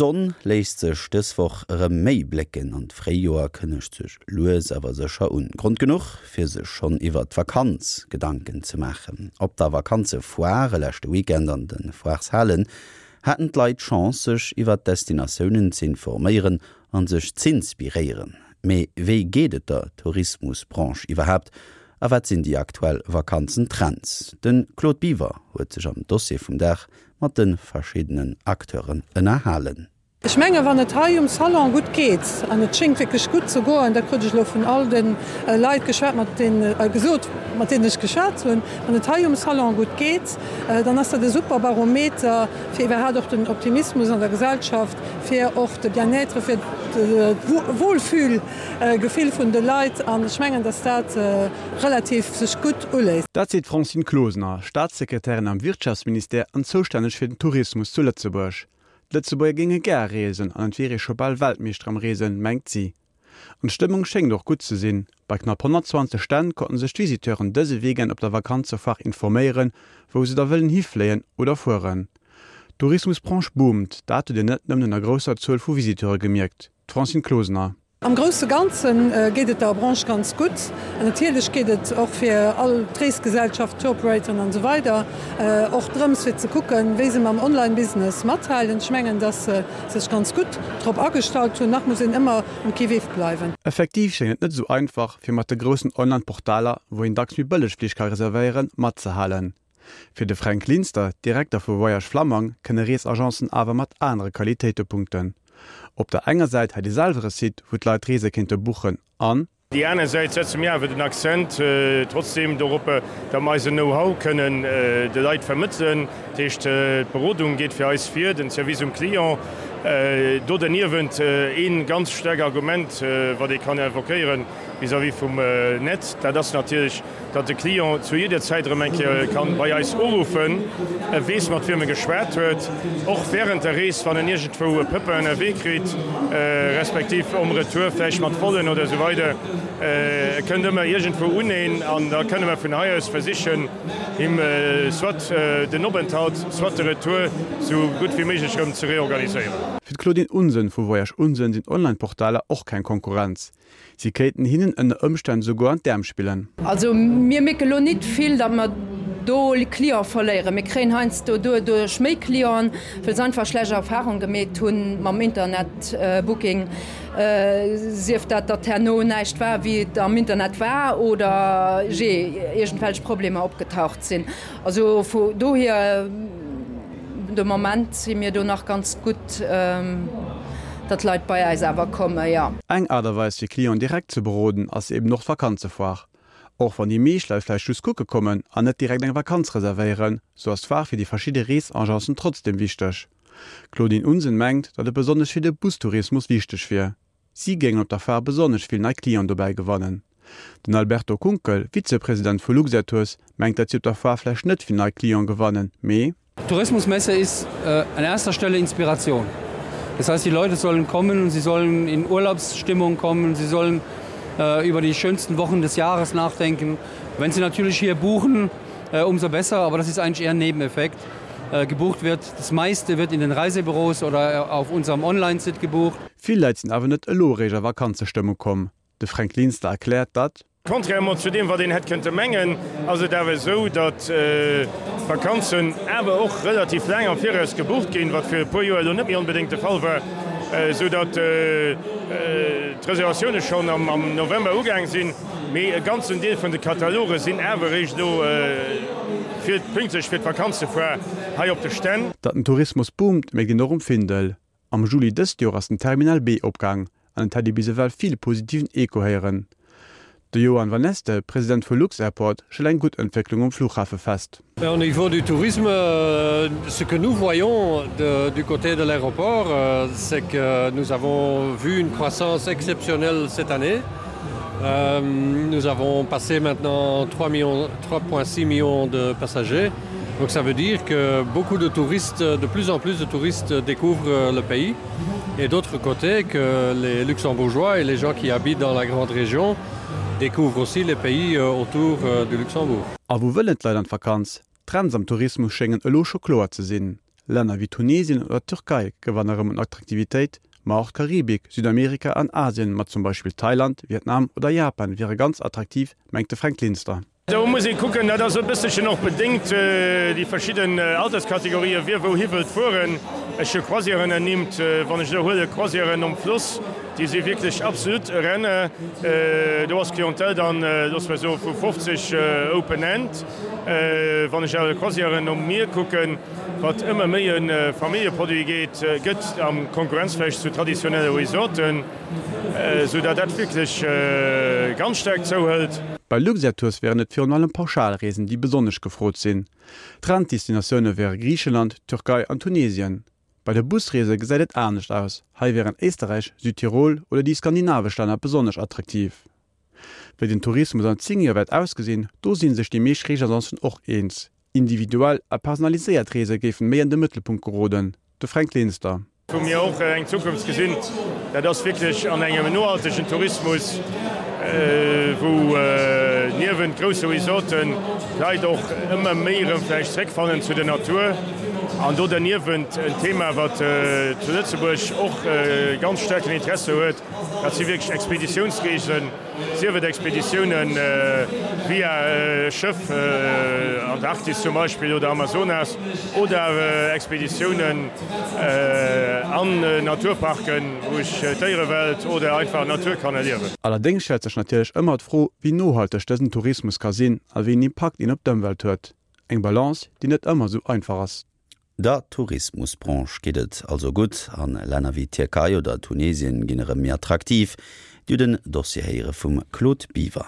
D'Sonn léisst sech dës Woch erëm méi blécken an d'Fréijoer kënnegt sech lues awer sécher un. Grond genuch fir sech schonn iwwert d'Vakanz Gedanken ze maachen. Op der Vakanzefoire leschte Weekend an de Foireshalen haten d'Leit d'Chance sech iwwert d'Destinatiounen z'informéieren an sech z'inspiréieren. Mee wéi geet et der Tourismusbranche iwwerhaapt a wat sinn déi aktuell Vakanzentrends? De Claude Biver huet sech am Dossier vum Dag mat de verschiddenen Acteuren ënnerhalen. Ech mengen, wann et hei um Salon gutt geet, an et schéngt wierklech gutt ze goen, dat krut ech elo vun all de Leit geschwat, mat deenen, gesot, mat deenen ech geschwat hunn, wann et hei um Salon gutt geet, dann ass dat e super Barometer fir iwwerhaapt och den Optimismus an der Gesellschaft, fir och de Bien-être, fir d'Wohlfühlgefill vun de Leit. An ech mengen, datt dat relativ sech gutt uléisst. Dat seet d'Francine Closener, Staatssekretärin am Wirtschaftsministère an zoustänneg fir den Tourismus zu Lëtzebuerg. D'Lëtzebuerger géinge gär reesen an et wier ee scho bal Weltmeeschter am Reesen, mengt si. An d'Stëmmung schéngt och gutt ze sinn. Bei knapp 120 Stänn konnten sech d'Visiteuren dëse Weekend op der Vakanzefoire informéieren, wou se da wëllen hifléien oder fueren. D'Tourismusbranche boomt, dat huet een net nëmmen un der grousser Zuel vu Visiteure gemierkt. D'Francine Closener. Am grousse Ganze geet et der Branche ganz gutt. Natierlech geet et och fir all d'Reesgesellschaften, Tour-Operatoren an esou weider och drëms fir ze kucken, wéi se mam Online-Business mathalen. Ech mengen, dass se sech ganz gutt drop agestallt hunn. Nach muss een ëmmer um Qui-vive bleiwen. Effektiv schéngt et net esou einfach, fir mat de groussen Online-Portaler, wou een dacks méi bëlleg Flich ka reservéieren, matzehalen. Fir de Fränk Linster, Direkter vu Voyage Flammang, kënne Reesagencen awer mat anere Qualitéite punkten. Op der enger Säit hätt ee selwer e Site, wou d'Leit Reese kéinte buchen an. Déi aner Säit setze mir awer den Accent trotzdeem dorop, datt mer eisen Know-how kënnen de Leit vermëttelen. Dat heescht, d'Berodung geet fir eis vir, den Service um Client. Do derniewent ee ganz staark Argument, wat ee kann invoquéieren vis-à-vis vum Net, dat ass natierlech, datt de Client zu jidder Zäit erëm eng Kéier kann bei eis uruffen, e weess mat wiem e geschwat huet, och während der Rees, wann en iergendwou e Pépin ënnerwee kritt, respektiv um Retour vläicht mat Vollen oder esou weider. E kënnt ëmmer iergendwou uneen an da kënne mer vun hei aus versichen, him soit den Openthalt, soit de Retour esou gutt wéi méiglech erëm ze reorganiséieren. Fir d'Claudine Unsen vu Voyage Unsen sinn Online-Portaler och keng Konkurrenz. Si kéinten hinnen ënner Ëmstänn souguer an d'Äerm spillen. Also mir mierke lo nit vill, datt mer do Cliente verléieren. Mir kréien heiansdo doduerch méi Clienten, well se einfach schlecht Erfahrung gemeet hunn mam Internetbooking, sief dat, datt herno näischt war wéi et am Internet war oder jee iergendwelch Problemer opgetaucht sinn. Also vu dohier. De Moment si mir do nach ganz gutt, datt d'Leit bei äis awer kommen, jo. Eng Aart a Weis fir Clienten direkt ze beroden ass eben och d'Vakanzefoire. Och wann déi meescht Leit vläicht just kucke kommen an net direkt eng Vakanz reservéieren, sou ass d'Foire fir déi verschidde Reesagencen trotzdeem wichteg. D'Claudine Unsen mengt, datt et besonnesch fir de Bustourismus wichteg wier. Si géingen op der Foire besonnesch vill nei Clienten dobäi gewannen. Den Alberto Kunkel, Vizepresident vu Luxair-Tours, mengt, datt si op der Foire vläicht net vill nei Clienten gewannen, mee. Tourismusmesse ist an erster Stelle Inspiration. Das heißt, die Leute sollen kommen und sie sollen in Urlaubsstimmung kommen, sie sollen über die schönsten Wochen des Jahres nachdenken. Wenn sie natürlich hier buchen, umso besser, aber das ist eigentlich eher ein Nebeneffekt. Gebucht wird das meiste wird in den Reisebüros oder auf unserem Online-Sit gebucht. Vill Leit sinn awer net elo eréischt a Vakanzestëmmung komm. De Fränk Linster erkläert, datt. Contrairement zu deem, wat een hätt kënnte mengen, ass et awer esou, datt d'Vakanzen awer och relativ laang am Viraus gebucht ginn, wat fir e puer Joer elo net méi onbedéngt de Fall war, esou datt d'Reservatioune schonn am November ugaang sinn. Mee e ganzen Deel vun de Kataloge sinn awer eréischt elo fir pünktlech fir d'Vakanzefoire hei op de Stänn. Datt den Tourismus boomt, mierkt een och um Findel. Am Juli dëst Joer ass den Terminal B opgaang an et hätt ee bis ewell vill positiven Echo héieren. De Johan Vanneste, President vu lux-Airport, stellt eng gutt Entwécklung um Flughafe fest. Au niveau du tourisme, ce que nous voyons de, du côté de l'aéroport, c'est que nous avons vu une croissance exceptionnelle cette année. Euh, nous avons passé maintenant 3,6 millions de passagers. Donc ça veut dire que beaucoup de touristes, de plus en plus de touristes découvrent le pays et d'autre côté que les luxembourgeois et les gens qui habitent dans la grande région découvrent aussi les pays euh, autour euh, du Luxembourg. A wou wëllen d'Leit an d'Vakanz? D'Trends am Tourismus schéngen elo scho kloer ze sinn. Länner wéi Tunesien oder d'Türkei gewanne rëm un Attraktivitéit, ma och d'Karibik, Südamerika an Asien mat zum Beispill Thailand, Vietnam oder Japan wiere ganz attraktiv, mengt de Fränk Linster. Do muss ee kucken, dat ass e bësselchen och bedéngt déi verschidden Alterskategorien, wie wouhi wëllt fueren. Ech hu Croisièren ernimmt, wann ech elo huele Croisièren um Floss, déi si wierklech absolut e Renner. Do ass d'Clientèle dann, loosse mer soe vu 50 open end. Wann ech awer Croisièren um Mier kucken, wat ëmmer méi e Familljeproduit geet, gëtt am Konkurrenz vläicht zu traditionelle Resorten, esou datt dat wierklech ganz staark zouhëlt. Bei Luxair Tours wären et virun allem Pauschalreesen, déi besonnesch gefrot sinn. Trenddestinatioune wäre Griicheland, Türkei an Tunesien. Bei de Busreese gesäit et anescht aus, hei wären Éisterräich, Südtirol oder déi skandinavesch Länner besonnesch attraktiv. Wéi den Tourismus an 10 Joer wäert ausgesinn, do si sech déi meescht Reesagencen och eens. Individuell a personaliséiert Reese géifen méi an de Mëttelpunkt geroden. De Fränk Linster. Wou mir och eng Zukunft gesinn, dat ass wierklech an engem nohaltegen Tourismus, wou niewent grousse Resorten d'Leit och ëmmer méi erëm vläicht zréckfannen zu der Natur. An do derniewent en Thema, wat zu Lëtzebuerg och ganz staarken Interesse huet, Dat si wierklech Expeditiounsreesen, sief et Expeditioune via Schëff, Antarktis zum Beispill oder Amazonas, oder Expeditiounen an Naturparken, wou ech d'Déierewelt oder einfach d'Natur kann erliewen. Allerdéngs stellt sech natierlech ëmmer d'Fro, wéi nohalteg dësen Tourismus ka sinn a wéi en Impakt een op d'Ëmwelt huet. Eng Balance, déi net ëmmer esou einfach ass. Der Tourismusbranche geet et also gutt an Länner wéi Tierkei oder Tunesien ginn erëm méi attraktiv. Dir hutt en Dossier héiere vum Claude Biver.